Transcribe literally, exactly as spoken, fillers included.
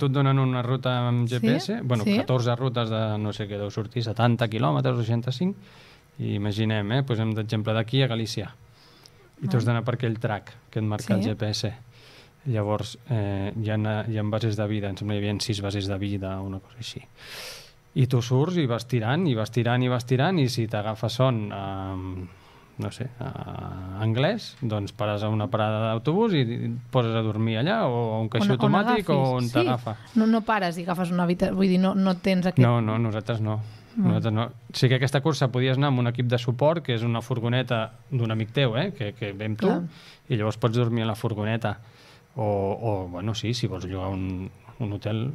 tu et donen una ruta amb G P S, Sí? bueno, Sí? catorze rutes de, no sé què, deu sortir setanta quilòmetres o seixanta-cinc, i imaginem, eh, posem d'exemple d'aquí a Galícia, i tu has d'anar per aquell track que et marca Sí. el G P S. Llavors, eh, hi, ha, hi ha bases de vida, em sembla que hi havia sis bases de vida, una cosa així. I tu surts i vas tirant, i vas tirant, i vas tirant, i si t'agafa son, eh, no sé, eh, anglès, doncs pares a una parada d'autobús i et poses a dormir allà, o a un caixer On- on automàtic, o agafis. on Sí. t'agafa. No, no pares i agafes una habitació, vull dir, no, no tens aquest... No, no, nosaltres no. Nosaltres no. Sí que aquesta cursa podies anar amb un equip de suport, que és una furgoneta d'un amic teu, eh, que, que ve amb tu, Clar. i llavors pots dormir a la furgoneta. O, o bueno, sí, si vols llogar un, un hotel,